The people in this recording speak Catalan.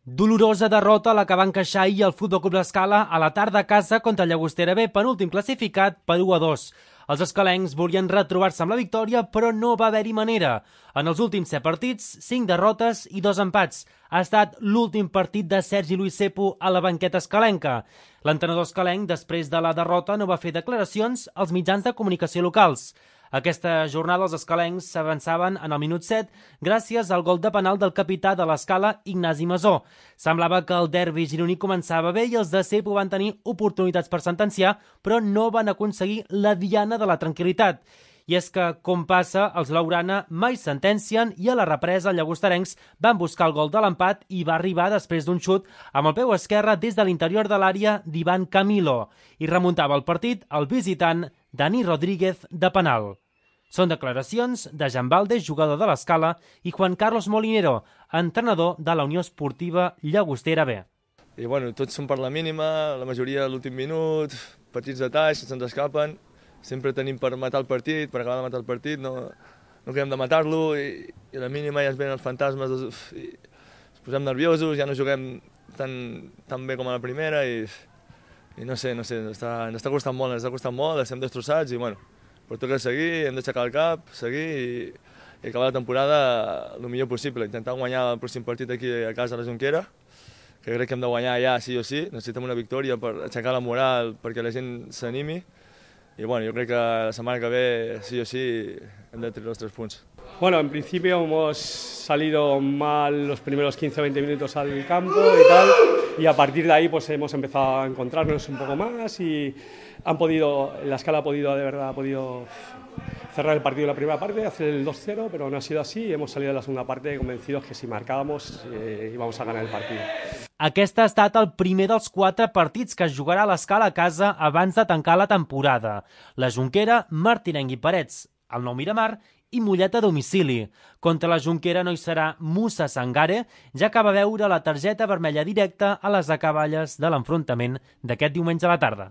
Dolorosa derrota la que va encaixar ahir el Futbol Club L'Escala a la tarda a casa contra el Llagostera B, penúltim classificat per 1-2. Els escalencs volien retrobar-se amb la victòria, però no va haver-hi manera. En els últims 7 partits, 5 derrotes i 2 empats. Ha estat l'últim partit de Sergi Luis Sepo a la banqueta escalenca. L'entrenador escalenc, després de la derrota, no va fer declaracions als mitjans de comunicació locals. Aquesta jornada els escalencs s'avançaven en el minut 7 gràcies al gol de penal del capità de l'Escala, Ignasi Masó. Semblava que el derbi gironí començava bé i els de Sepo van tenir oportunitats per sentenciar, però no van aconseguir la diana de la tranquil·litat. I és que, com passa, els Laurana mai sentencien i a la represa els llagosterencs van buscar el gol de l'empat i va arribar després d'un xut amb el peu esquerre des de l'interior de l'àrea d'Ivan Camilo. I remuntava el partit el visitant Dani Rodríguez de penal. Són declaracions de Jan Valdes, jugador de l'Escala, i Juan Carlos Molinero, entrenador de la Unió Esportiva Llagostera B. I bueno, tots són per la mínima, la majoria a l'últim minut, petits detalls que se'ns escapen. Sempre tenim per matar el partit, per acabar de matar el partit, no acabem de matar-lo i a la mínima ja ens venen els fantasmes i ens posem nerviosos, ja no juguem tan bé com a la primera i no sé, ens està costant molt, estem destrossats i bueno, però toca seguir, hem d'aixecar el cap, seguir i acabar la temporada el millor possible, intentar guanyar el pròxim partit aquí a casa a la Jonquera, que crec que hem de guanyar ja sí o sí, necessitem una victòria per aixecar la moral perquè la gent s'animi. Y bueno, yo creo que la semana que viene sí o sí hem de tener los 3 puntos. Bueno, en principio hemos salido mal los primeros 15-20 minutos al campo y tal, y a partir de ahí pues hemos empezado a encontrarnos un poco más y la Escala ha podido cerrar el partido en la primera parte, hacer el 2-0, pero no ha sido así y hemos salido de la segunda parte convencidos que si marcábamos íbamos a ganar el partido. Aquest ha estat el primer dels 4 partits que es jugarà a l'Escala a casa abans de tancar la temporada. La Jonquera, Martinenc i Parets, el Nou Miramar i Mollet a domicili. Contra la Jonquera no hi serà Musa Sangare, ja que va veure la targeta vermella directa a les acaballes de l'enfrontament d'aquest diumenge a la tarda.